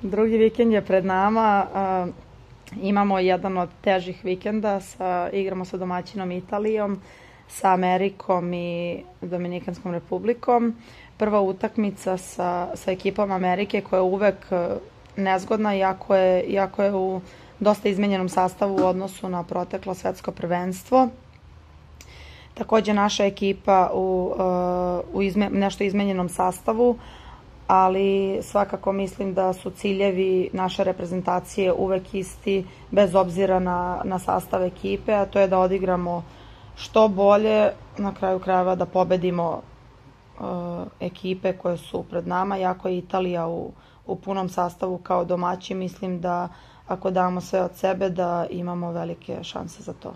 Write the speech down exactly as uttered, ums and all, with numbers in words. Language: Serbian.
Drugi vikend je pred nama. Imamo jedan od težih vikenda. Sa, igramo sa domaćinom Italijom, sa Amerikom i Dominikanskom republikom. Prva utakmica sa, sa ekipom Amerike koja je uvek nezgodna, iako je, iako je u dosta izmenjenom sastavu u odnosu na proteklo svetsko prvenstvo. Takođe naša ekipa u, u izme, nešto izmenjenom sastavu, ali svakako mislim da su ciljevi naše reprezentacije uvek isti, bez obzira na, na sastav ekipe, a to je da odigramo što bolje, na kraju krajeva da pobedimo uh, ekipe koje su pred nama. Jako je Italija u, u punom sastavu kao domaći, mislim da ako damo sve od sebe da imamo velike šanse za to.